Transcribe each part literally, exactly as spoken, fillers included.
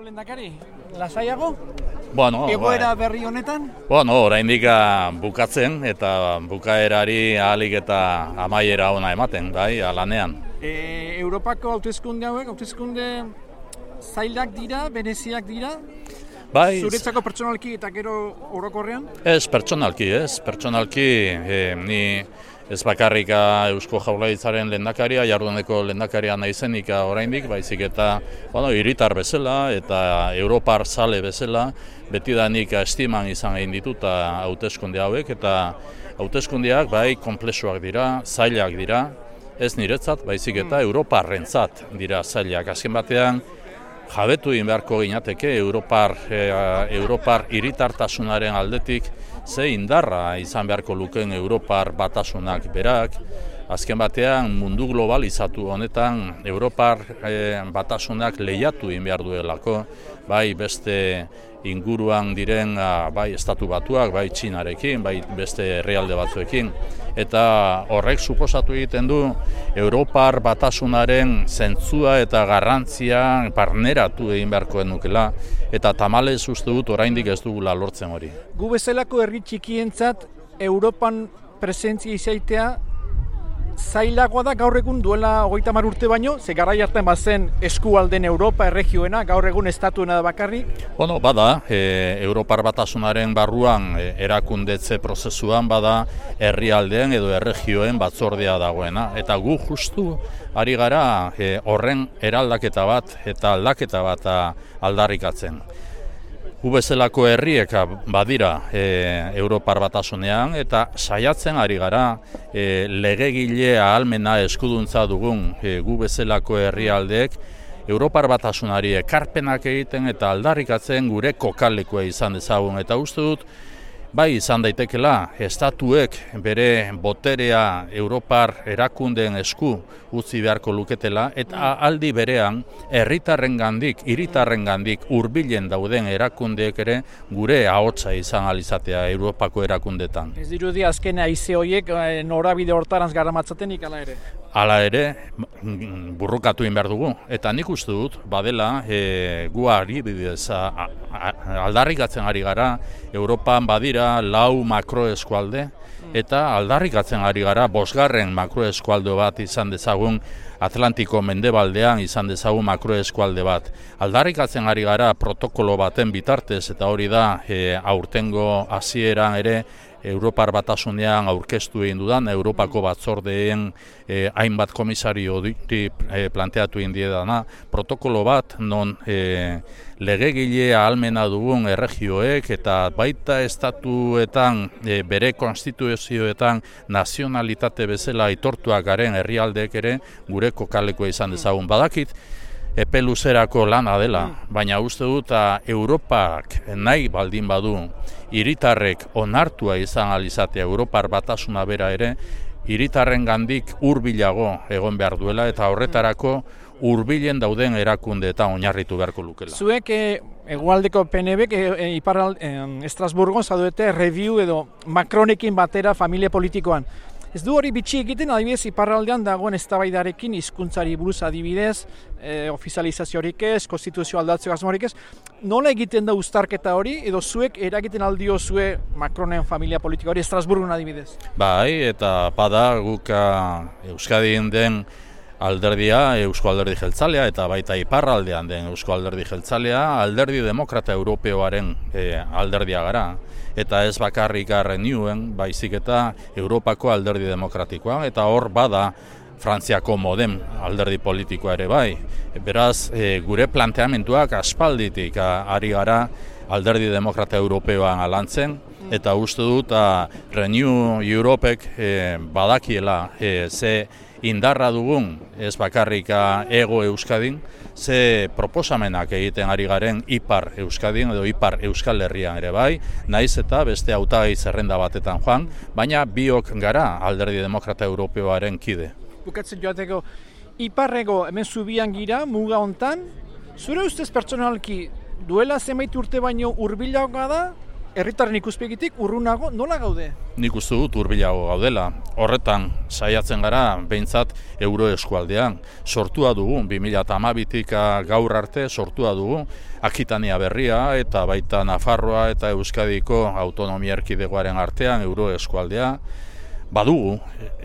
Urteko lehendakari, lasaiago? Bueno, egoera bai. berri honetan? Bueno, oraindik bukatzen eta bukaerari ahalik eta amaiera ona ematen, bai, lanean. E, Europako hauteskunde hauek, hauteskunde zailak dira, bereziak dira? Bai. Zuretzako pertsonalki eta gero orokorrean? Ez, pertsonalki, ez, pertsonalki, e, ni ez bakarrika Eusko Jaurlaritzaren lehendakaria, jarduneko lehendakaria naizenik oraindik, baizik eta bueno, hiritar bezala eta Europar zale bezala, betidanik estiman izan egin dituta hauteskunde hauek, eta hauteskundeak bai konplexuak dira, zailak dira, ez niretzat, baizik eta Europarrentzat dira zailak. Azken batean, jabetu egin beharko ginateke Europar, e, Europar hiritartasunaren aldetik, ze indarra izan beharko lukeen Europar batasunak berak. Azken batean mundu globalizatu honetan Europar e, batasunak lehiatu egin behar duelako, bai beste inguruan diren bai estatu batuak, bai Txinarekin, bai beste herrialde batzuekin. Eta horrek suposatu egiten du Europar batasunaren zentzua eta garrantzia barneratu egin beharko nukela, eta tamalez uste dut oraindik ez dugula lortzen hori. Gu bezalako herri txikientzat Europan presentzia izaitea zailagoa da gaur egun duela hogeita hamar urte baino, ze garai hartan bazen eskualden Europa erregioena, gaur egun estatuena da bakarrik. Bueno, bada, e, Europar batasunaren barruan e, erakundetze prozesuan bada herrialdeen edo erregioen batzordea dagoena. Eta gu justu ari gara e, horren eraldaketa bat eta aldaketa bat aldarrikatzen. Gu bezalako herriek badira e, Europar batasunean eta saiatzen ari gara e, legegile ahalmena eskuduntza dugun e, gu bezalako herrialdeek Europar batasunari ekarpenak egiten eta aldarrikatzen gure kokalekua izan dezagun. Eta uste dut, bai izan daitekela, estatuek bere boterea Europar erakundeen esku utzi beharko luketela, eta aldi berean herritarrengandik, hiritarrengandik hurbilen dauden erakundeek ere gure ahotsa izan alizatea Europako erakundetan. Ez dirudi azken haize horiek norabide hortarantz garamatzatenik ala ere? Hala ere, burrukatu egin behar dugu. Eta nik uste dut, badela, e, gu ari bidez, a, a, aldarrikatzen ari gara, Europan badira lau makroeskualde, eta aldarrikatzen ari gara, bosgarren makroeskualde bat izan dezagun, Atlantiko mendebaldean izan dezagun makroeskualde bat. Aldarrikatzen ari gara protokolo baten bitartez, eta hori da, e, aurtengo hasieran ere, Europar batasunean aurkeztu egin dudan, Europako batzordeen eh, hainbat komisario diti eh, planteatu egin diedana, protokolo bat non eh, legegile ahalmena dugun erregioek eta baita estatuetan eh, bere konstituzioetan nazionalitate bezala aitortuak garen herrialdeek ere gure kokalekoa izan dezagun. Badakit, epe luzerako lana dela, baina uste dut Europak nahi baldin badu hiritarrek onartua izan alizatea Europar batasuna bera ere, hiritarrengandik hurbilago egon behar duela eta horretarako hurbilen dauden erakundeetan oinarritu beharko lukela. Zuek e, egualdeko P N Bk e, e, iparral e, Estrasburgon zaudete review edo Macronekin batera familia politikoan. Ez du hori bitxi egiten, adibidez, iparraldean dagoen eztabaidarekin hizkuntzari buruz adibidez, e, ofizializaziorik ez, konstituzio aldatzeko asmorik ez. Nola egiten da uztarketa hori, edo zuek eragiten aldio zue Macronen familia politika hori Estrasburgon adibidez? Bai, eta bada guk Euskadin den alderdia, Eusko Alderdi Jeltzalea, eta baita iparraldean den Eusko Alderdi Jeltzalea, Alderdi Demokrata Europeoaren e, alderdia gara. Eta ez bakarrik Renewen, baizik eta Europako alderdi demokratikoa, eta hor bada Frantziako Modem alderdi politikoa ere bai. Beraz, e, gure planteamenduak aspalditik a, ari gara alderdi demokrata europeoan alantzen, eta uste dut a, Renew Europek e, badakiela e, ze indarra dugun, ez bakarrik ego Euskadin, ze proposamenak egiten ari garen Ipar Euskadin edo Ipar Euskal Herrian ere bai, naiz eta beste hautagai zerrenda batetan joan, baina biok gara alderdi demokrata europeoaren kide. Bukatzen joateko, Iparrego hemen zubian gira, muga hontan, zure ustez pertsonalki duela zenbait urte baino hurbilagoa da, herritarren ikuspegitik urrunago nola gaude? Nik uste dut hurbilago gaudela. Horretan saiatzen gara behintzat euro eskualdean. Sortua dugu, bi mila hamabitik gaur arte sortua dugu Akitania berria eta baita Nafarroa eta Euskadiko autonomia erkidegoaren artean euro eskualdea. Badugu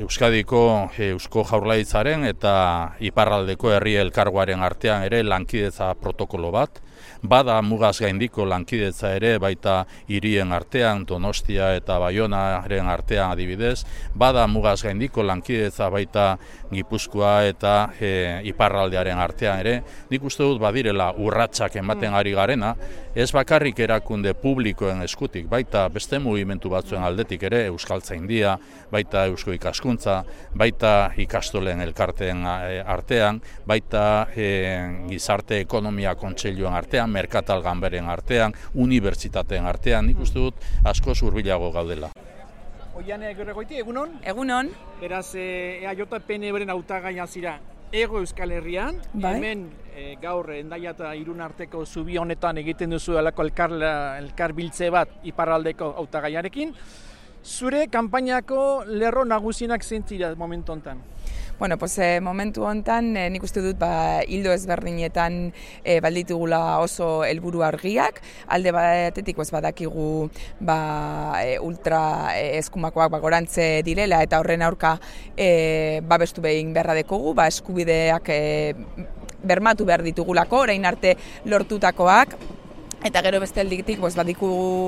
Euskadiko Eusko Jaurlaritzaren eta Iparraldeko Herri Elkargoaren artean ere lankidetza protokolo bat. Bada mugaz gaindiko lankidetza ere baita hirien artean, Donostia eta Baionaren artean adibidez. Bada mugaz gaindiko lankidetza baita Gipuzkoa eta e, Iparraldearen artean ere. Nik uste dut badirela urratsak ematen ari garena, ez bakarrik erakunde publikoen eskutik, baita beste mugimendu batzuen aldetik ere, Euskaltzaindia, baita Eusko Ikaskuntza, baita ikastolen elkarteen artean, baita e, gizarte ekonomia kontseiluan artean, merkatal ganberen artean, unibertsitateen artean, nik uste dut asko hurbilago gaudela. Oiane Gerregoiti, egunon? Egunon. Beraz, E A J P N Bren hautagaia zira Hego Euskal Herrian, bai. Hemen e, gaur Hendaia eta Irun arteko zubi honetan egiten duzu alako elkar, elkar biltze bat iparraldeko hautagaiarekin. Zure kanpainako lerro nagusienak zentzira momentu honetan? Bueno, pues, eh, momentu honetan eh, nik uste dut ba, hildo ezberdinetan eh, balditugula oso helburu argiak. Alde batetik pues, badakigu ba, e, ultra e, eskumakoak ba, gorantze direla eta horren aurka e, babestu behin beharra dekogu, ba, eskubideak e, bermatu behar ditugulako, orain arte lortutakoak. Eta gero beste alditik pues, badiku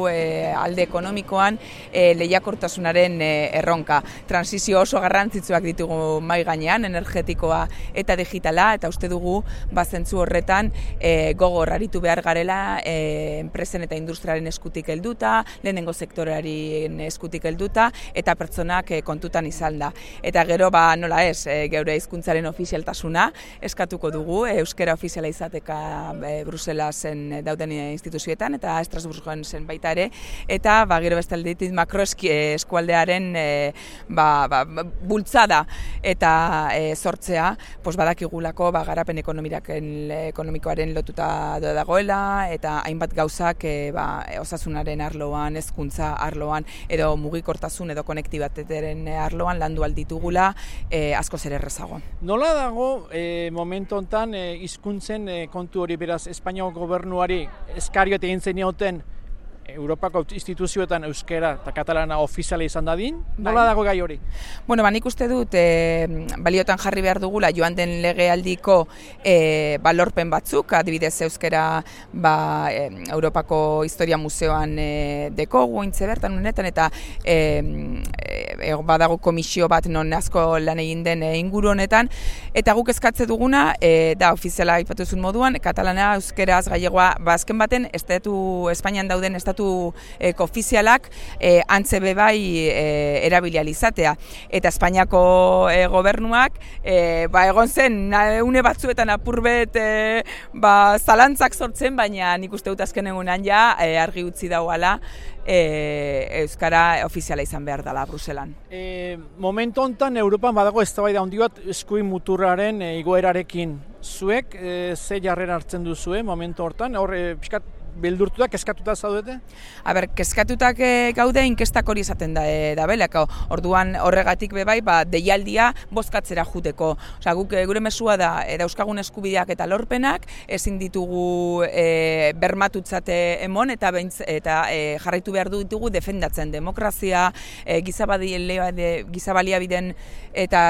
e, alde ekonomikoan e, lehiakortasunaren e, erronka. Transizio oso garrantzitsuak ditugu mai gainean, energetikoa eta digitala, eta uste dugu bazentzu horretan e, gogor aritu behar garela e, enpresen eta industriaren eskutik helduta, lehenengo sektorearen eskutik helduta, eta pertsonak e, kontutan izan da. Eta gero ba, nola ez, e, geure hizkuntzaren ofizialtasuna eskatuko dugu, e, euskera ofiziala izateka e, Bruselasen dauden instituzioetan eta Estrasburgoen zen baita ere, eta ba, gero beste aldetik makroeski eskualdearen e, ba, ba, bultzada eta e, sortzea, pues badakigulako ba, garapen ekonomikoaren lotuta dagoela, eta hainbat gauzak e, ba, osasunaren arloan, hezkuntza arloan, edo mugikortasun edo konektibateteren arloan landu alditugula e, askoz ere errezago. Nola dago e, momentu honetan e, hizkuntzen e, kontu hori, beraz Espainiako gobernuari eskarioet egin zenioten Europako instituzioetan euskera eta katalana ofiziala izan dadin, nola dago gai hori? Bueno, ba, nik uste dut e, baliotan jarri behar dugula joan den legealdiko e, balorpen batzuk, adibidez euskera ba, e, Europako Historia Museoan e, dekogu intze bertan honetan, eta e, e, badago komisio bat non asko lan egin den e, inguru honetan, eta guk eskatze duguna e, da ofiziala aipatuzun moduan, katalana, euskeraz, gallegoa, ba, azken baten estatu Espainian dauden estatu Eko ofizialak e, antze bebai e, erabilializatea. Eta Espainiako e, gobernuak e, ba, egon zen une batzuetan apurbet e, ba, zalantzak sortzen, baina nik uste dut azken egunan ja e, argi utzi dauala e, euskara ofiziala izan behar dela Bruselan. E, momentu honetan Europan badago eztabaida handi bat eskuin muturraren e, igoerarekin. Zuek e, ze jarrera hartzen duzue momentu hortan? Hor, e, pixkat beldurtutak, eskatuta zaudete? A ber, keskatutak e, gaude inkestak hori izaten da, e, da belako. Orduan horregatik bebai, ba, deialdia bozkatzera juteko. Osea, guk e, gure mesua da, e, dauzkagun eskubideak eta lorpenak, ezin ditugu e, bermatutzate emon, eta, beintz, eta e, jarraitu behar ditugu defendatzen demokrazia, e, gizabaliabiden eta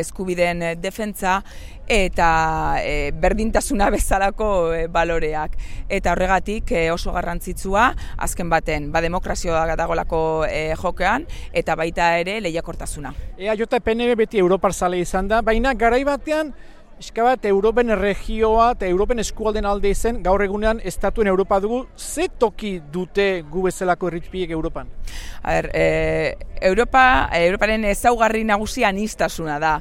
eskubideen defentsa, eta e, berdintasuna bezalako e, baloreak. Eta horregatik e, oso garrantzitsua, azken baten, ba, demokrazioa dagolako e, jokean, eta baita ere lehiakortasuna. E A J P N B beti Europar zale izan da, baina garai batean, eska bat, Europen erregioa eta Europen eskualden alde izen, gaur egunean estatuen Europa dugu, ze toki dute gu bezalako herripiek Europan? A ber, e, Europa, Europaren ezaugarri nagusia anistasuna da.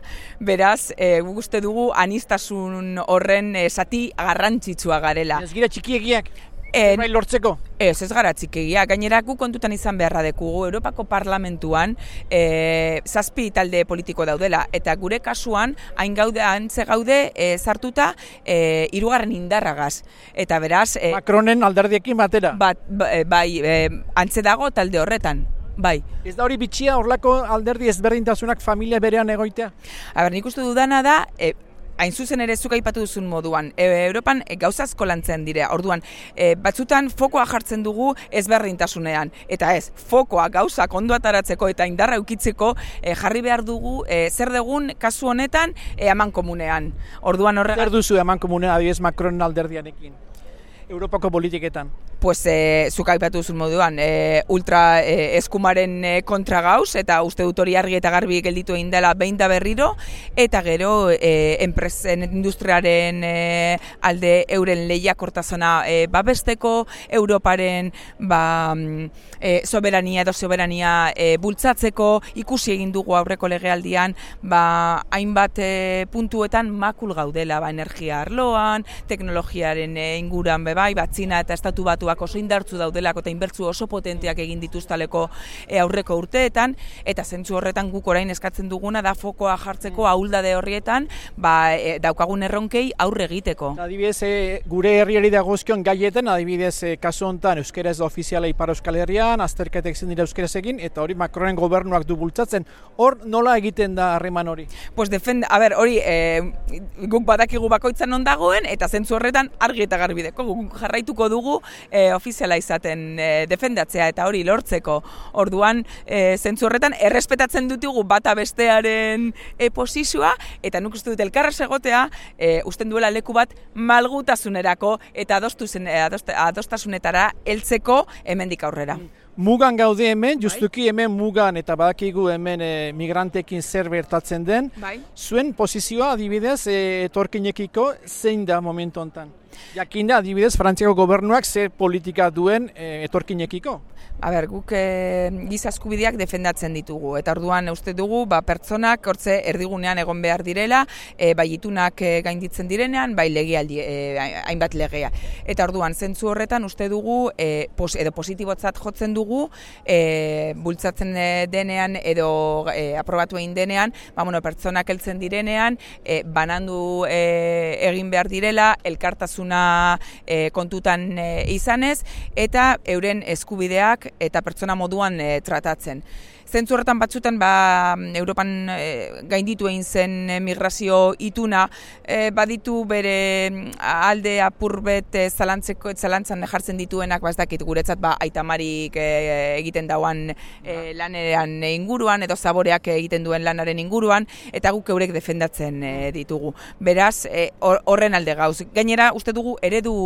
Beraz, e, guk uste dugu anistasun horren e, zati garrantzitsua garela. Ez gira txikiegiak? Zerbait lortzeko? Ez, ez gara txikegia. Gainera gu kontutan izan beharra dekugu Europako Parlamentuan e, zazpi talde politiko daudela, eta gure kasuan hain gaude, antze gaude e, sartuta e, hirugarren indarragaz. Eta beraz... E, Macronen alderdiekin batera? Bat, bai, e, antze dago talde horretan. Bai. Ez da hori bitxia horlako alderdi ezberdintasunak familia berean egoitea? Aber, nik uste dudana da, e, hain zuzen ere zuk aipatu duzun moduan, e, Europan e, gauza asko lantzen dira. Orduan, e, batzutan fokoa jartzen dugu ezberdintasunean. Eta ez, fokoa gauzak ondo ataratzeko eta indarra eukitzeko e, jarri behar dugu e, zer dugun kasu honetan e, aman komunean. Orduan horrega... Zer duzu aman komunean adibidez Macronen alderdianekin? Europako politiketan? Pues, e, zuk aipatu duzun moduan, e, ultra e, eskumaren e, kontra gauz, eta uste dut hori argi eta garbi gelditu egin dela behin da berriro, eta gero e, enpresen industriaren e, alde euren lehiakortasuna e, babesteko, Europaren ba, e, soberania edo soberania e, bultzatzeko, ikusi egin dugu aurreko legealdian, ba, hainbat e, puntuetan makul gaudela, ba, energia arloan, teknologiaren e, inguran bebai, bat Txina eta estatu batuak oso indartzu daudelako eta inbertzu oso potenteak egin dituztaleko e, aurreko urteetan, eta zentzu horretan guk orain eskatzen duguna da fokoa jartzeko ahuldade horrietan ba, e, daukagun erronkei aurre egiteko. Adibidez, e, gure herriari dagozkion gaietan, adibidez, e, kasu honetan euskera ez da ofiziala Ipar Euskal Herrian, azterketek zen dira euskaraz egin, eta hori Macronen gobernuak du bultzatzen. Hor nola egiten da harreman hori? Pues defend, a ber, hori e, guk badakigu bakoitzan non dagoen, eta zentzu horretan argi eta garbideko guk jarraituko dugu e, ofiziala izaten e, defendatzea eta hori lortzeko. Orduan, e, zentzu horretan errespetatzen ditugu bata bestearen e, posizioa, eta nuk uste dut elkarraz egotea e, usten duela leku bat malgutasunerako eta adostuzen, adost, adostasunetara heltzeko hemendik aurrera. Mugan gaude hemen, justuki hemen mugan eta badakigu hemen e, migrantekin zer bertatzen den. Bai. Zuen posizioa adibidez e, etorkinekiko zein da momentu honetan? Jakin da adibidez Frantziako gobernuak zer politika duen e, etorkinekiko? A ber, guk e, giza eskubideak defendatzen ditugu, eta orduan uste dugu ba, pertsonak hortze erdigunean egon behar direla, e, bai itunak e, gainditzen direnean, bai legealdi, e, hainbat legea. Eta orduan, zentzu horretan uste dugu, e, pos, edo positibotzat jotzen dugu, e, bultzatzen denean edo e, aprobatu egin denean, ba, bueno, pertsonak heltzen direnean, e, banandu e, egin behar direla, elkartasuna e, kontutan e, izanez, eta euren eskubideak eta pertsona moduan e, tratatzen. Zentzu horretan batzutan ba, Europan e, gainditu egin zen e, migrazio ituna e, baditu bere alde apurbet e, zalantzeko, zalantzan jartzen dituenak, ba, ez dakit guretzat ba, aitamarik e, egiten dauan e, lanean inguruan edo zaboreak egiten duen lanaren inguruan, eta guk eurek defendatzen e, ditugu. Beraz, e, horren alde gauz. Gainera, uste dugu eredu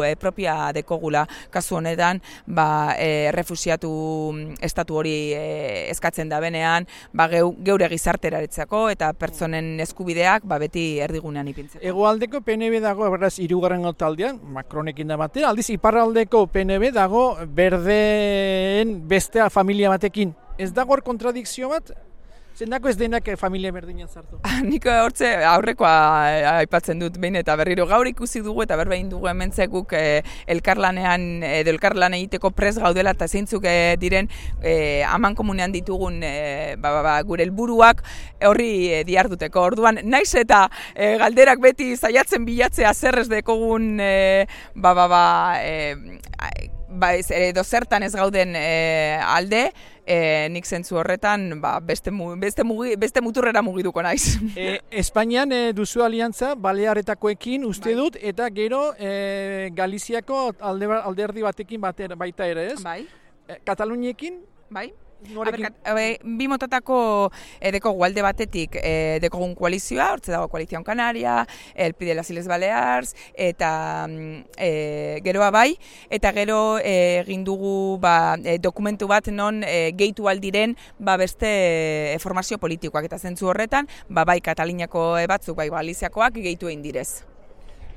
e, propia dekogula kasu honetan, ba, e, refusiatu estatu hori e, eskatzen da benean, ba, geu, geure gizarteraretzako eta pertsonen eskubideak ba, beti erdigunean ipintzeko. Hegoaldeko P N B dago, beraz, hirugarren taldean, Macronekin da batera, aldiz iparraldeko P N B dago berdeen bestea familia batekin. Ez dago hor kontradikzio bat? Zendako ez denak familia berdinean sartu? Nik hortze aurrekoa aipatzen dut behin eta berriro gaur ikusi dugu eta berbein dugu hementzekuk e, elkarlanean edo elkarlan egiteko pres gaudela eta zeintzuk e, diren e, aman komunean ditugun e, ba, ba, ba, gure helburuak horri e, diarduteko. Orduan, naiz eta e, galderak beti zaiatzen bilatzea zer ez dekogun e, ba, ba, ba, e, ba, ez, edo zertan ez gauden e, alde, E, nik zentzu horretan ba, beste, beste, mugi, beste muturrera mugiduko naiz. E, Espainian e, duzu aliantza Balearretakoekin uste bai. Dut, eta gero e, Galiziako alde, alderdi batekin bater, baita ere ez? Bai. E, Kataluniekin? Bai. Aber, bi motatako e, dekogu alde batetik e, dekogun koalizioa, hortze dago Koalizion Kanaria, el Pide las Isles Balears, eta e, geroa bai, eta gero egin e, dugu ba, e, dokumentu bat non e, gehitu aldiren ba, beste e, formazio politikoak, eta zentzu horretan, ba, bai Kataliniako batzuk, bai Galiziakoak gehitu egin direz.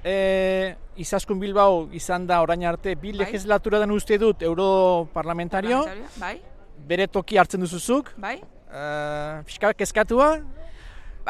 E, Izaskun Bilbao izan da orain arte, bi bai. Legislatura den uste dut europarlamentario, bai. Bere toki hartzen duzuzuk, bai. Uh, fiskal kezkatua?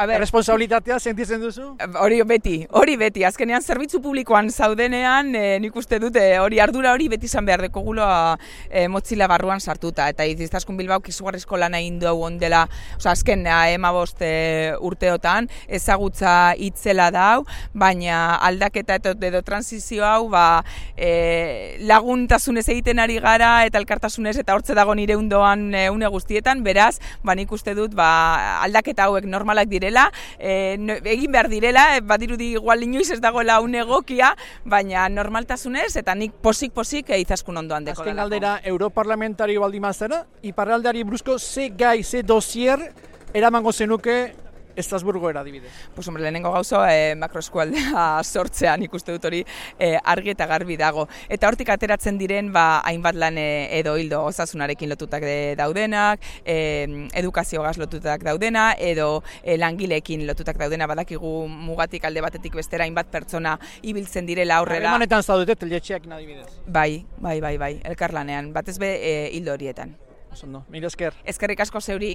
Responsabilitatea sentitzen duzu? Hori beti, hori beti. Azkenean zerbitzu publikoan zaudenean, e, nik uste dute hori ardura hori beti izan behar dekoguloa e, motzila barruan sartuta. Eta Iztaskun Bilbaok izugarrizko lana egin du ondela, oza, azken emabost e, urteotan, ezagutza itzela dau, baina aldaketa edo transizio hau ba, e, laguntasunez egiten ari gara eta elkartasunez eta hortze dago nire undoan e, une guztietan, beraz, ba, nik uste dut ba, aldaketa hauek normalak direla, e, no, egin behar direla, e, badirudi igual inoiz ez dagoela une egokia, baina normaltasunez eta nik posik-posik e, Izaskun ondoan deko. Azken galdera, europarlamentario baldimazera, iparraldeari buruzko ze gai, ze dosier eramango zenuke Estrasburgoera adibidez. Pues hombre, lehenengo gauzo eh, makroeskualdea sortzean ikuste dut hori eh, argi eta garbi dago. Eta hortik ateratzen diren ba, hainbat lan eh, edo hildo osasunarekin lotutak de, daudenak, eh, edukaziogaz lotutak daudena, edo eh, langileekin lotutak daudena, badakigu mugatik alde batetik bestera hainbat pertsona ibiltzen direla aurrera. Harremanetan zaudete telletxeakin adibidez. Bai, bai, bai, bai, elkarlanean, batez be eh, hildo horietan. Osondo, mila esker. Eskerrik asko zeuri.